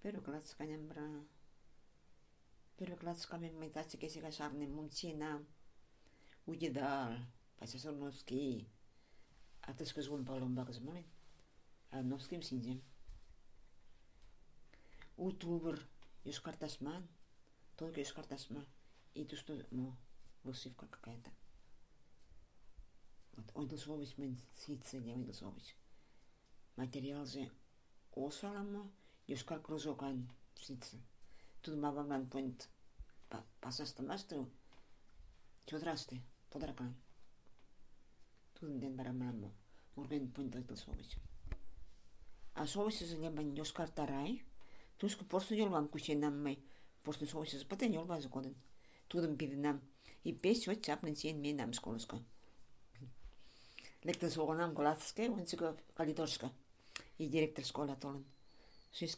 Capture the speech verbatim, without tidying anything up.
Первый класс канем бра. Первый класс камен мы тачи кесига шарны мунчина. Уйдал. Пасасор носки. А ты скажи он палом багазмалин. А носким синзем. Утубр. Юскартасман. Только юскартасман. И то, что, ну, высывка какая-то. Вот, ойдылсович мен ситсы не ойдылсович. Материал же осаламо, юскар кружокан ситсы. Тут мабаман point пасастамастру. Чодрасты, подракан. Тут ден барамамо. Морген point ойдылсович. А сович же не бан юскар тарай. Туску просто ёлгам кученаммай. Просто сович же патен ёлбазы коден. Тудым пиденам. И пес вот чапнен сен мен нам школыска. Лекте соғанам класске, он сігі калидорска. И директор школа толын.